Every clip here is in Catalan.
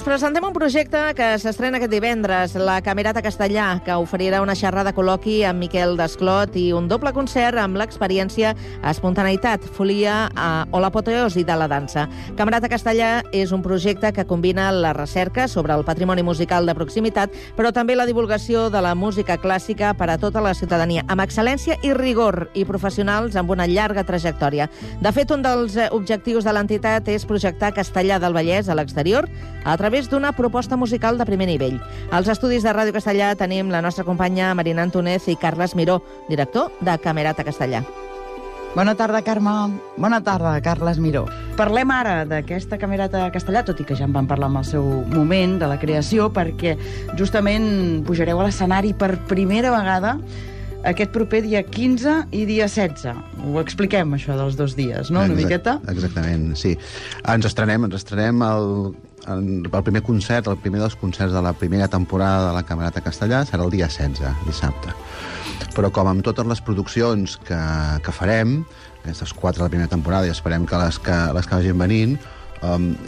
Us presentem un projecte que s'estrena aquest divendres, la Camerata Castellà, que oferirà una xerrada col·loqui amb Miquel Desclot i un doble concert amb l'experiència Espontaneïtat, Folia o l'apoteosi de la dansa. Camerata Castellà és un projecte que combina la recerca sobre el patrimoni musical de proximitat, però també la divulgació de la música clàssica per a tota la ciutadania, amb excel·lència i rigor, i professionals amb una llarga trajectòria. De fet, un dels objectius de l'entitat és projectar Castellà del Vallès a l'exterior a través d'una proposta musical de primer nivell. Als estudis de Ràdio Castellà tenim la nostra companya Marina Antúnez i Carles Miró, director de Camerata Castellà. Bona tarda, Carme. Bona tarda, Carles Miró. Parlem ara d'aquesta Camerata Castellà, tot i que ja en vam parlar en el seu moment de la creació, perquè justament pujareu a l'escenari per primera vegada aquest proper dia 15 i dia 16. Ho expliquem, això dels 2 dies, no? Una miqueta? Exactament, sí. Ens estrenem el primer concert, el primer dels concerts de la primera temporada de la Camerata Castellà serà el dia 16, dissabte. Però com amb totes les produccions que farem, aquestes 4 de la primera temporada, i esperem que les que vagin venint,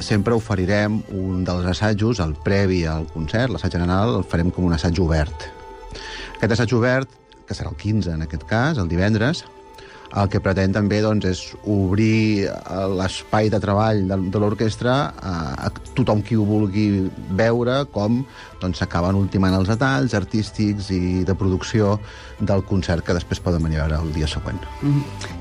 sempre oferirem un dels assajos, el previ al concert, l'assaig general, el farem com un assaig obert. Aquest assaig obert, que serà el 15 en aquest cas, el divendres, el que pretén també és obrir l'espai de treball de l'orquestra a tothom qui ho vulgui veure, com s'acaben ultimant els detalls artístics i de producció del concert que després poden venir a veure el dia següent.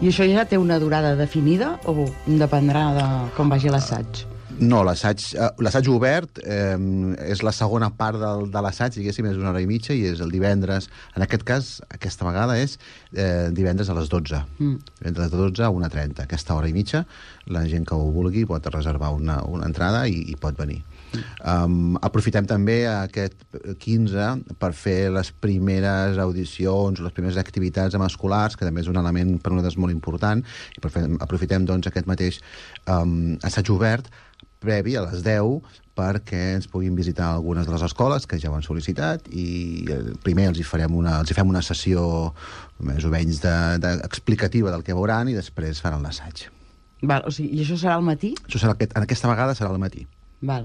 I això ja té una durada definida o dependrà de com vagi l'assaig? No, l'assaig obert és la segona part de l'assaig, diguéssim, és 1 hora i mitja, i és el divendres. En aquest cas, aquesta vegada és divendres a les 12. Divendres a les 12 a 1:30. Aquesta hora i mitja, la gent que ho vulgui pot reservar una entrada i pot venir. Aprofitem també aquest 15 per fer les primeres audicions, les primeres activitats amb escolars, que també és un element per nosaltres molt important, i aprofitem aquest mateix assaig obert previ a les 10 perquè ens puguin visitar algunes de les escoles que ja ho han sol·licitat, i primer els fem una sessió més o menys explicativa del que veuran, i després faran l'assaig. I això serà al matí? Aquesta vegada serà al matí.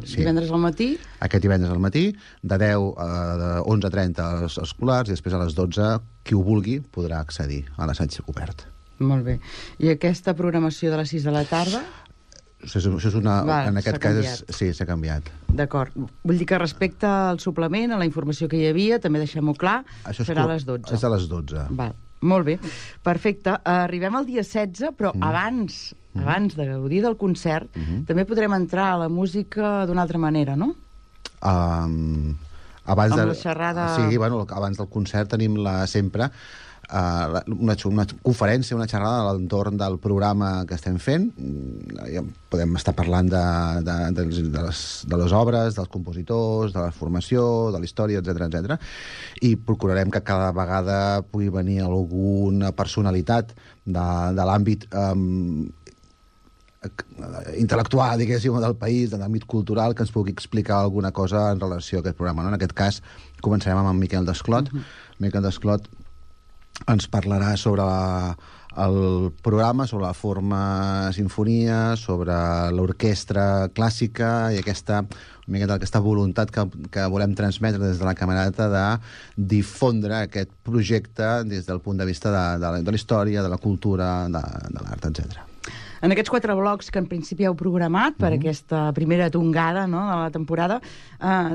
Sí. Divendres al matí? Aquest divendres al matí, de 10 a 11:30 als escolars, i després a les 12 qui ho vulgui podrà accedir a l'assaig obert. Molt bé. I aquesta programació de les 6 de la tarda? Això és en aquest cas sí, s'ha canviat. D'acord. Vull dir que respecte al suplement, a la informació que hi havia, també deixem-ho clar, serà a les 12. És a les 12. Molt bé. Perfecte. Arribem al dia 16, però abans de gaudir del concert, també podrem entrar a la música d'una altra manera, no? Amb la xerrada... Sí, abans del concert tenim sempre una conferència, una xerrada a l'entorn del programa que estem fent. Ja podem estar parlant de les obres, dels compositors, de la formació, de la història, etc. I procurarem que cada vegada pugui venir alguna personalitat de l'àmbit intel·lectual, diguéssim, del país, de l'àmbit cultural, que ens pugui explicar alguna cosa en relació a aquest programa. En aquest cas, començarem amb en Miquel Desclot. Miquel Desclot ens parlarà sobre el programa, sobre la forma sinfonia, sobre l'orquestra clàssica i aquesta voluntat que volem transmetre des de la Camerata de difondre aquest projecte des del punt de vista de la història, de la cultura, de l'art, etc. En aquests 4 blocs que en principi heu programat per aquesta primera tongada, no, de la temporada,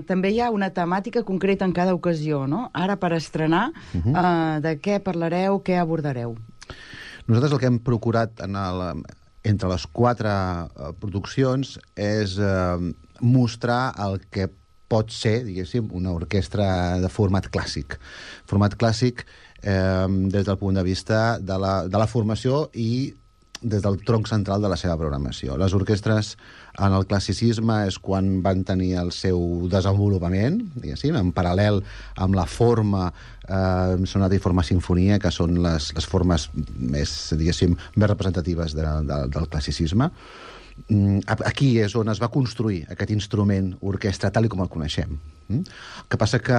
també hi ha una temàtica concreta en cada ocasió, no? Ara, per estrenar, de què parlareu, què abordareu? Nosaltres el que hem procurat entre les 4 produccions és mostrar el que pot ser, diguéssim, una orquestra de format clàssic. Format clàssic des del punt de vista de la formació i des del tronc central de la seva programació. Les orquestres en el classicisme és quan van tenir el seu desenvolupament, diguéssim, en paral·lel amb la forma sonata i forma sinfonia, que són les formes més, diguéssim, més representatives del classicisme. Aquí és on es va construir aquest instrument orquestra tal com el coneixem. El que passa que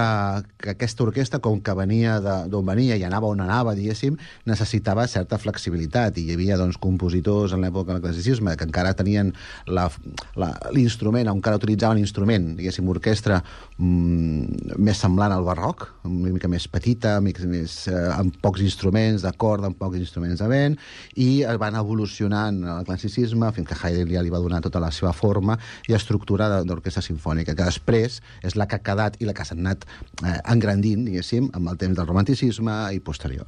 aquesta orquestra, com que venia d'on venia i anava on anava, diguéssim, necessitava certa flexibilitat, i hi havia doncs, compositors en l'època del classicisme que encara tenien l'instrument, encara utilitzaven l'instrument, diguéssim, orquestra més semblant al barroc, una mica més petita, amb pocs instruments de corda, amb pocs instruments de vent, i van evolucionant el classicisme fins que Haydn ja li va donar tota la seva forma i estructura d'orquestra sinfònica, que després és la que ha quedat i la que s'ha anat engrandint, diguéssim, amb el temps del romanticisme i posterior.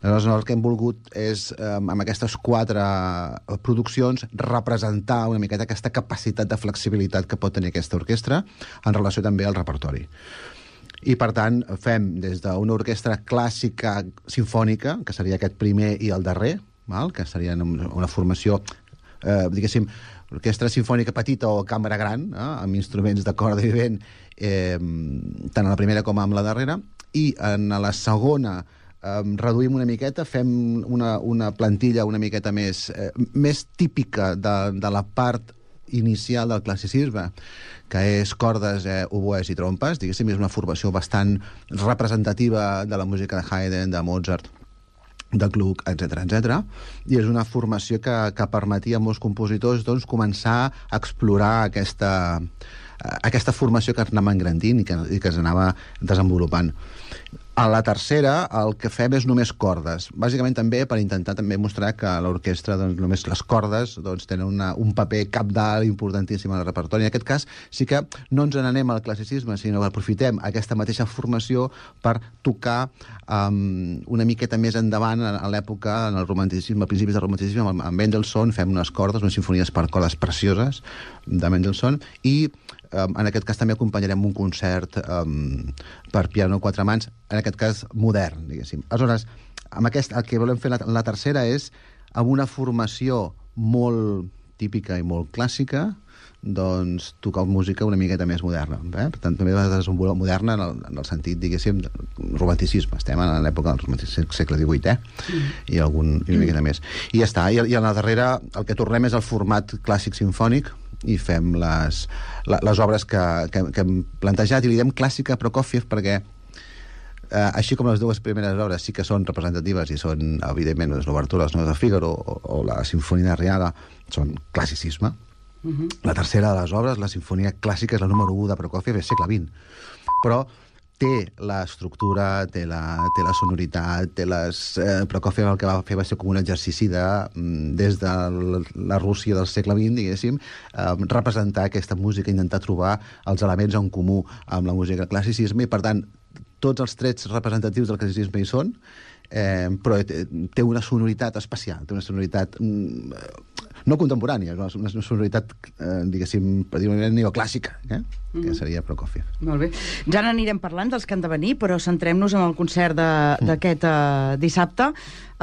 Llavors, el que hem volgut és, amb aquestes 4 produccions, representar una miqueta aquesta capacitat de flexibilitat que pot tenir aquesta orquestra en relació també al repertori. I, per tant, fem des d'una orquestra clàssica sinfònica, que seria aquest primer i el darrer, que seria una formació, diguéssim, orquestra sinfònica petita o cambra gran, amb instruments de corda i vent, tant a la primera com a la darrera, i en la segona reduïm una miqueta, fem una plantilla una miqueta més típica de la part inicial del classicisme, que és cordes, oboès i trompes, diguéssim, és una formació bastant representativa de la música de Haydn, de Mozart, de Gluck, etc. I és una formació que permetia a molts compositors doncs, començar a explorar aquesta formació que anava engrandint i que es anava desenvolupant. A la tercera el que fem és només cordes, bàsicament també per intentar també mostrar que a l'orquestra doncs, només les cordes doncs, tenen un paper cabdal importantíssim al repertori. En aquest cas sí que no ens n'anem al classicisme, sinó que aprofitem aquesta mateixa formació per tocar una miqueta més endavant a l'època, en el romanticisme, a principis del romanticisme, amb Mendelssohn fem unes cordes, unes simfonies per cordes precioses de Mendelssohn, i en aquest cas també acompanyarem un concert per piano a 4 mans, en aquest cas modern, diguéssim. Aleshores, el que volem fer en la tercera és, amb una formació molt típica i molt clàssica, doncs tocar música una miqueta més moderna. Per tant, també va desenvolupar moderna en el sentit, diguéssim, romanticisme. Estem en l'època del romanticisme, segle XVIII, i una miqueta més. I ja està. I a la darrera el que tornem és el format clàssic sinfònic, i fem les obres que hem plantejat, i li diem clàssica Prokofiev perquè així com les 2 primeres obres sí que són representatives i són, evidentment, l'obertura dels Noves de Fígaro o la Sinfonia d'Arriaga, són classicisme. La tercera de les obres, la Sinfonia clàssica, és la número 1 de Prokofiev, és segle XX. Però té l'estructura, té la sonoritat, Prokofiev el que va fer va ser com un exercici des de la Rússia del segle XX, diguéssim, representar aquesta música, intentar trobar els elements en comú amb la música del classicisme, i per tant tots els trets representatius del classicisme hi són, però té una sonoritat especial, té una sonoritat no contemporània, una sonoritat, diguéssim, per dir-ho neoclàssica, que seria Prokofiev. Molt bé. Ja n'anirem parlant dels que han de venir, però centrem-nos en el concert d'aquest dissabte.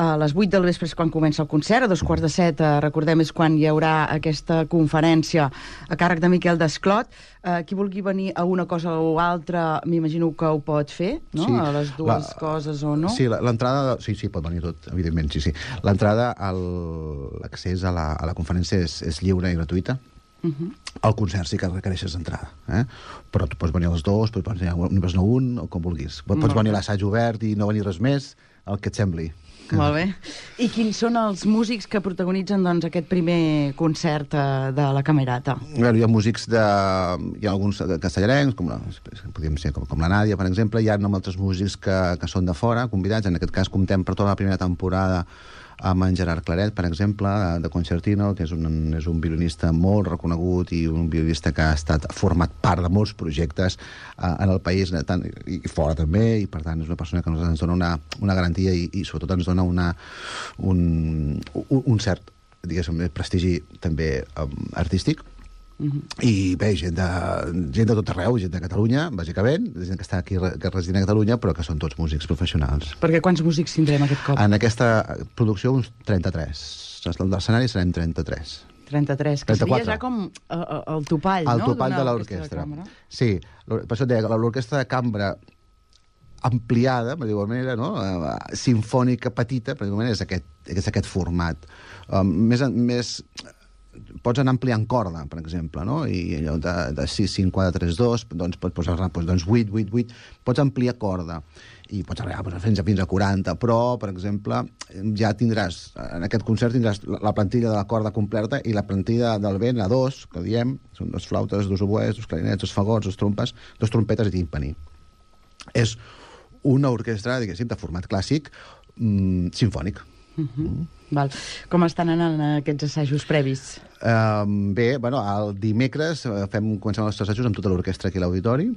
A les 8 del vespre és quan comença el concert, a 6:45, recordem, és quan hi haurà aquesta conferència a càrrec de Miquel Desclot. Qui vulgui venir a una cosa o altra, m'imagino que ho pot fer, no? Sí, a les dues coses o no? Sí, l'entrada... Sí, pot venir tot, evidentment, sí. L'entrada, l'accés a la conferència és lliure i gratuïta. El concert sí que requereixes entrada, però tu pots venir a les 2, pots venir a un, o com vulguis. Pots venir a l'assaig obert i no venir res més, el que et sembli. Molt bé. I quins són els músics que protagonitzen doncs, aquest primer concert de la Camerata? Hi ha músics hi ha alguns castellarencs, podríem ser com la Nàdia, per exemple. Hi ha altres músics que són de fora, convidats. En aquest cas comptem per tota la primera temporada amb en Gerard Claret, per exemple, de Concertino, que és un violinista molt reconegut i un violinista que ha estat format part de molts projectes en el país i fora també, i per tant és una persona que ens dona una garantia i sobretot ens dona un cert, diguéssim, prestigi també artístic. I bé, gent de tot arreu, gent de Catalunya, bàsicament, gent que està aquí, que resideix a Catalunya, però que són tots músics professionals. Perquè quants músics tindrem aquest cop? En aquesta producció, uns 33. L'escenari serem 33. 33, que 34. Seria ja com el topall, no? El topall de l'orquestra. Sí, per això et deia que l'orquestra de cambra ampliada, per dir-ho manera, no? Sinfònica petita, per dir-ho manera, és aquest format. Més pots anar ampliant corda, per exemple, no? I allò de 6, 5, 4, 3, 2, doncs pots posar 8, 8, 8, pots ampliar corda i pots arribar fins a 40, però, per exemple, ja tindràs, en aquest concert tindràs la plantilla de la corda completa i la plantilla del vent, la 2, que diem, són 2 flautes, 2 oboès, 2 clarinets, 2 fagots, 2 trompes, 2 trompetes i timpani. És una orquestra, diguéssim, de format clàssic, simfònic. Val. Com estan anant aquests assajos previs? Bé, bueno, el dimecres comencem els assajos amb tota l'orquestra aquí a l'auditori.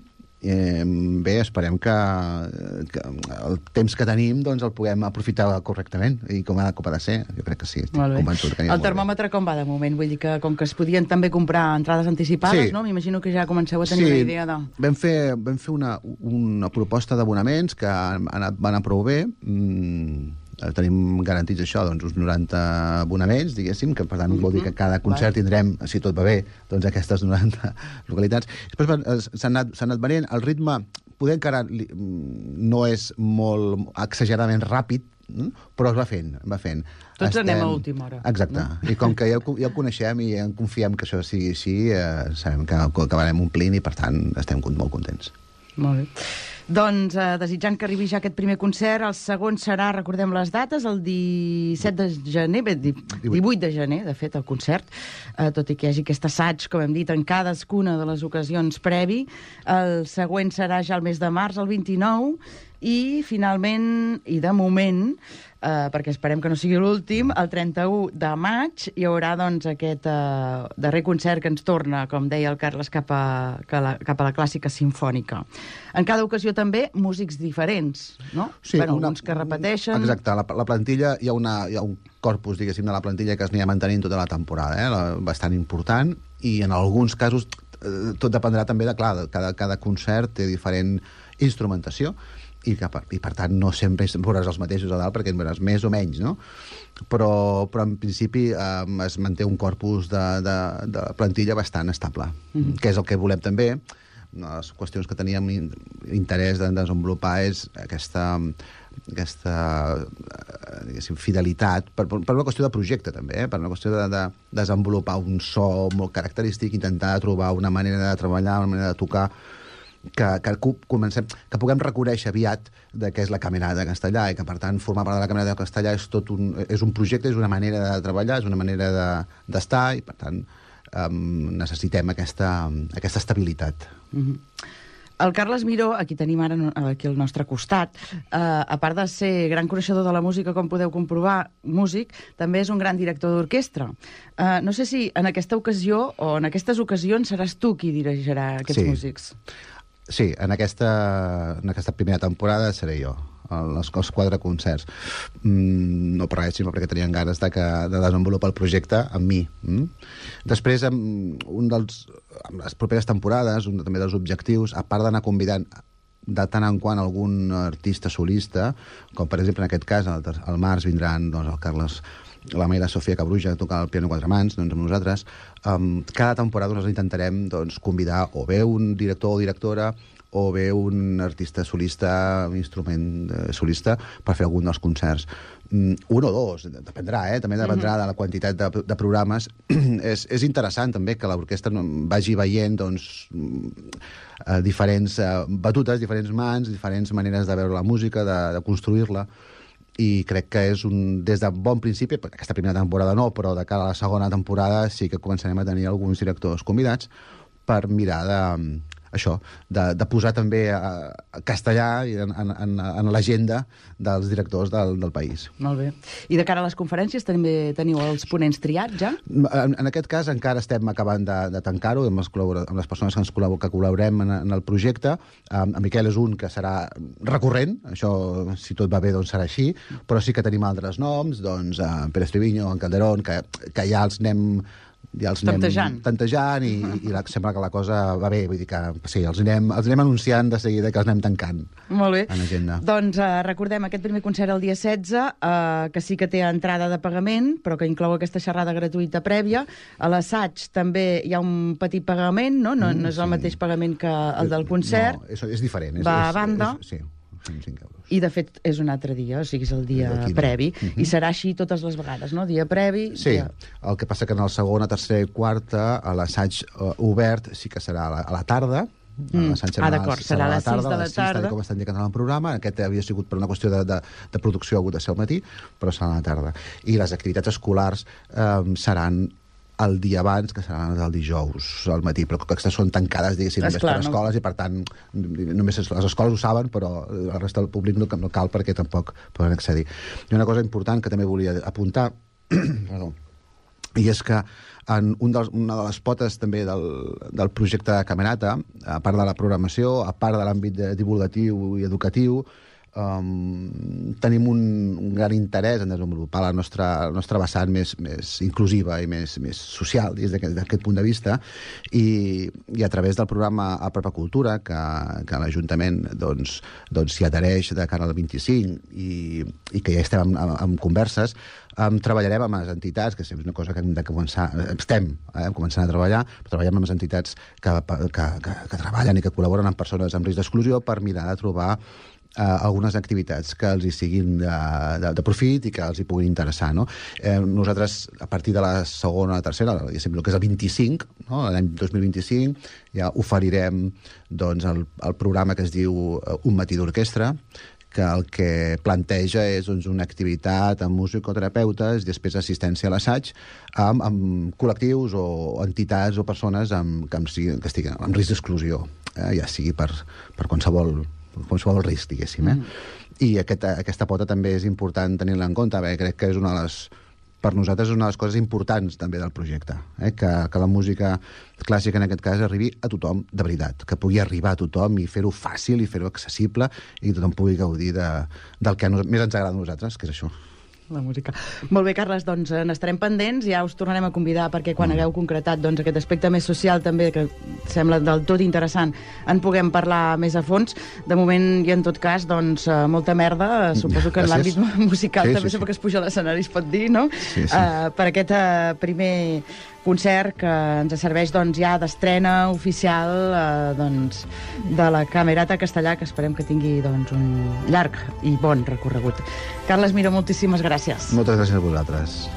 Bé, esperem que el temps que tenim doncs, el puguem aprofitar correctament i com ha de ser. Jo crec que sí, estic convençut. El termòmetre com va de moment? Vull dir que com que es podien també comprar entrades anticipades, sí. No? M'imagino que ja comenceu a tenir una idea de... Vam fer una proposta d'abonaments que van anar prou bé. Tenim garantits això, doncs, uns 90 abonaments, diguéssim, que per tant vol dir que cada concert tindrem, si tot va bé, doncs aquestes 90 localitats. Després s'han anat venent. El ritme poder encara no és molt exageradament ràpid, però es va fent. Tots anem a última hora. Exacte. No? I com que ja el coneixem i ja confiem que això sigui així, sabem que acabarem omplint i, per tant, estem molt contents. Molt bé. Doncs, desitjant que arribi ja aquest primer concert, el segon serà, recordem les dates, el 17 de gener, 18 de gener, de fet, el concert, tot i que hi hagi aquest assaig, com hem dit, en cadascuna de les ocasions previ. El següent serà ja el mes de març, el 29, i finalment, i de moment, perquè esperem que no sigui l'últim, el 31 de maig hi haurà doncs, aquest darrer concert que ens torna, com deia el Carles, cap a la clàssica simfònica. En cada ocasió també músics diferents, no? Sí, alguns que repeteixen... Exacte, la plantilla, hi ha un corpus, diguéssim, de la plantilla que es anirà mantenint tota la temporada, bastant important, i en alguns casos tot dependrà també de, clar, cada concert té diferent instrumentació, i per tant no sempre veuràs els mateixos a dalt perquè en veuràs més o menys, no? Però en principi es manté un corpus de plantilla bastant estable, que és el que volem també. Una de les qüestions que teníem interès de desenvolupar és aquesta fidelitat, per una qüestió de projecte també, per una qüestió de desenvolupar un so molt característic, intentar trobar una manera de treballar, una manera de tocar que puguem reconèixer aviat què és la Camerata de Castellà i que, per tant, formar part de la Camerata de Castellà és un projecte, és una manera de treballar, és una manera d'estar i, per tant, necessitem aquesta estabilitat. El Carles Miró, aquí tenim ara aquí al nostre costat, a part de ser gran coneixedor de la música, com podeu comprovar, músic, també és un gran director d'orquestra. No sé si en aquesta ocasió o en aquestes ocasions seràs tu qui dirigirà aquests músics. Sí, en aquesta primera temporada seré jo, els 4 concerts. No per res, sinó perquè tenien ganes de desenvolupar el projecte amb mi. Després, amb les properes temporades, un també dels objectius, a part d'anar convidant de tant en quant algun artista solista, com per exemple en aquest cas, al març vindran el Carles, la Mayra Sofia Cabruja a tocar el piano 4 mans, doncs amb nosaltres. Cada temporada nosaltres intentarem convidar o bé un director o directora o bé un artista solista, un instrument solista, per fer algun dels concerts. Un o dos, dependrà, també dependrà de la quantitat de programes. És interessant també que l'orquestra vagi veient diferents batutes, diferents mans, diferents maneres de veure la música, de construir-la, i crec que és des de bon principi, aquesta primera temporada no, però de cara a la segona temporada sí que començarem a tenir alguns directors convidats per mirar de posar també castellà en l'agenda dels directors del país. Molt bé. I de cara a les conferències també teniu els ponents triats, ja? En aquest cas encara estem acabant de tancar-ho amb les persones que col·laborem en el projecte. En Miquel és un que serà recurrent, això, si tot va bé, doncs serà així, però sí que tenim altres noms, doncs Pere Estriviño, en Calderón, que ja els anem tantejant i sembla que la cosa va bé, vull dir que sí, els anem anunciant de seguida que els anem tancant. Molt bé. En agenda. Doncs recordem aquest primer concert el dia 16, que sí que té entrada de pagament, però que inclou aquesta xerrada gratuïta prèvia. A l'assaig també hi ha un petit pagament, no? No és el mateix pagament que el del concert. No, és diferent. Va a banda. Sí. 5 euros. I, de fet, és un altre dia, o sigui, és el dia previ. I serà així totes les vegades, no? Dia previ... Sí, el que passa que en el segon, tercer i quarta, l'assaig obert sí que serà a la tarda. D'acord, serà a les 6 de la tarda. Com estan indicant en el programa. Aquest havia sigut per una qüestió de producció, ha hagut de ser al matí, però serà a la tarda. I les activitats escolars seran el dia abans, que seran el dijous al matí, però aquestes són tancades, diguéssim, només per escoles, i per tant només les escoles ho saben, però el resta del públic no cal perquè tampoc poden accedir. I una cosa important que també volia apuntar, i és que en una de les potes també del projecte de Camerata, a part de la programació, a part de l'àmbit divulgatiu i educatiu, tenim un gran interès en desenvolupar la nostra vessant més inclusiva i més social des d'aquest punt de vista, i a través del programa Apropa Cultura, que l'Ajuntament s'hi adhereix de cara al 25 i que ja estem en converses, treballarem amb les entitats, que és una cosa que hem de començar, estem començant a treballar, però treballem amb les entitats que treballen i que col·laboren amb persones amb risc d'exclusió per mirar de trobar algunes activitats que els hi siguin de profit i que els hi puguin interessar, no? Nosaltres, a partir de la segona o tercera, el que és el 25, no? L'any 2025, ja oferirem el programa que es diu Un matí d'orquestra, que el que planteja és una activitat amb musicoterapeutes i després assistència a l'assaig amb col·lectius o entitats o persones que estiguin en risc d'exclusió, ja sigui per qualsevol risc, diguéssim. I aquesta pota també és important tenir-la en compte, perquè crec que és per nosaltres és una de les coses importants també del projecte, que la música clàssica en aquest cas arribi a tothom de veritat, que pugui arribar a tothom i fer-ho fàcil i fer-ho accessible i que tothom pugui gaudir del que més ens agrada a nosaltres, que és això. La música. Molt bé, Carles, doncs n'estarem pendents, ja us tornarem a convidar perquè quan hagueu concretat aquest aspecte més social també, que sembla del tot interessant, en puguem parlar més a fons. De moment, i en tot cas, molta merda, suposo que en l'àmbit musical també sempre que es puja a l'escenari es pot dir, no? Sí. Per aquest primer concert que ens serveix ja d'estrena oficial de la Camerata Castellà, que esperem que tingui un llarg i bon recorregut. Carles Miró, moltíssimes gràcies. Moltes gràcies a vosaltres.